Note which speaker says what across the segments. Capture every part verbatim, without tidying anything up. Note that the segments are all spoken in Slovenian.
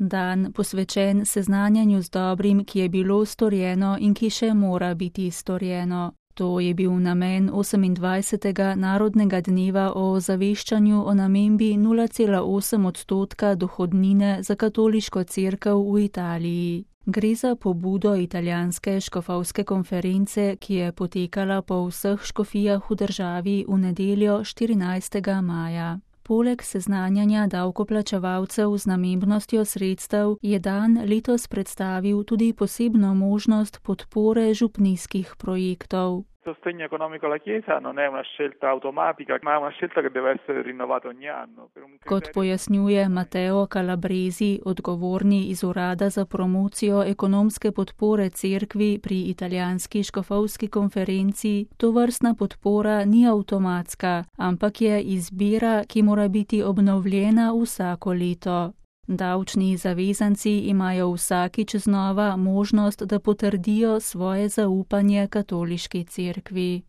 Speaker 1: dan posvečen seznanjanju z dobrim, ki je bilo storjeno in ki še mora biti storjeno. To je bil namen osemindvajsetega Narodnega dneva o ozaveščanju o namembi nula cela osem odstotka dohodnine za katoliško cerkev v Italiji. Gre za pobudo italijanske škofovske konference, ki je potekala po vseh škofijah v državi v nedeljo štirinajstega maja. Poleg seznanjanja davkoplačevalcev z namembnostjo sredstev je dan letos predstavil tudi posebno možnost podpore župnijskih projektov.
Speaker 2: Sostegno economico alla Chiesa non è una scelta automatica, ma è una scelta che deve essere rinnovata ogni anno.
Speaker 1: Kot pojasnjuje Matteo Calabresi, odgovorni iz Urada za promocijo ekonomske podpore cerkvi pri italijanski škofovski konferenci, tovrstna podpora ni avtomatska, ampak je izbira, ki mora biti obnovljena vsako leto. Davčni zavezanci imajo vsakič znova možnost, da potrdijo svoje zaupanje katoliški cerkvi.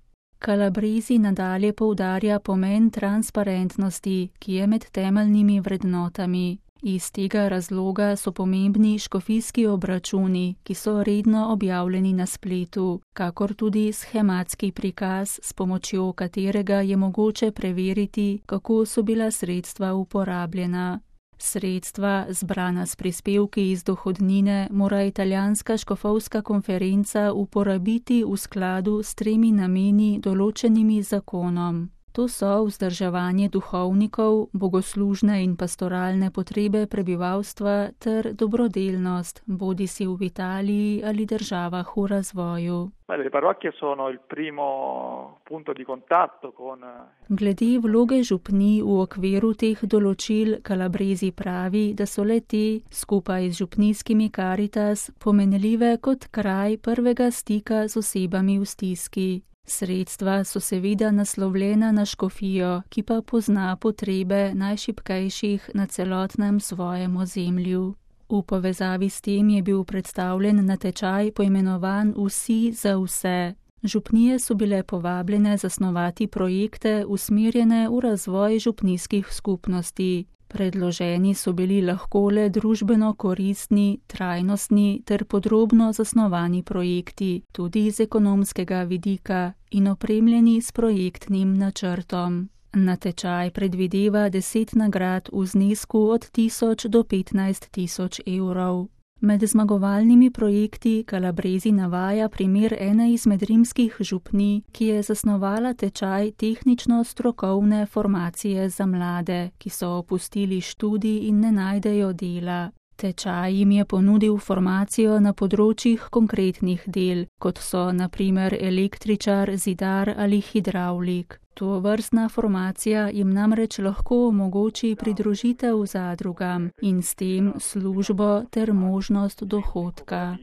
Speaker 1: Calabresi nadalje poudarja pomen transparentnosti, ki je med temeljnimi vrednotami. Iz tega razloga so pomembni škofijski obračuni, ki so redno objavljeni na spletu, kakor tudi shematski prikaz, s pomočjo katerega je mogoče preveriti, kako so bila sredstva uporabljena. Sredstva, zbrana s prispevki iz dohodnine, mora italijanska škofovska konferenca uporabiti v skladu s tremi nameni določenimi zakonom. To so vzdrževanje duhovnikov, bogoslužne in pastoralne potrebe prebivalstva ter dobrodelnost, bodisi v Italiji ali državah v razvoju. Glede vloge župnij v okviru teh določil Calabresi pravi, da so le te, skupaj z župnijskimi Caritas, pomenljive kot kraj prvega stika z osebami v stiski. Sredstva so seveda naslovljena na škofijo, ki pa pozna potrebe najšibkejših na celotnem svojem ozemlju. V povezavi s tem je bil predstavljen natečaj poimenovan Vsi za vse. Župnije so bile povabljene zasnovati projekte usmerjene v razvoj župnijskih skupnosti. Predloženi so bili lahko le družbeno koristni, trajnostni ter podrobno zasnovani projekti, tudi iz ekonomskega vidika, in opremljeni s projektnim načrtom. Natečaj predvideva deset nagrad v znesku od tisoč do petnajst tisoč evrov. Med zmagovalnimi projekti Calabresi navaja primer ene izmed rimskih župnij, ki je zasnovala tečaj tehnično-strokovne formacije za mlade, ki so opustili študij in ne najdejo dela. Tečaj jim je ponudil formacijo na področjih konkretnih del, kot so na primer električar, zidar ali hidravlik. Tovrstna formacija jim namreč lahko omogoči pridružitev zadrugam in s tem službo ter možnost dohodka.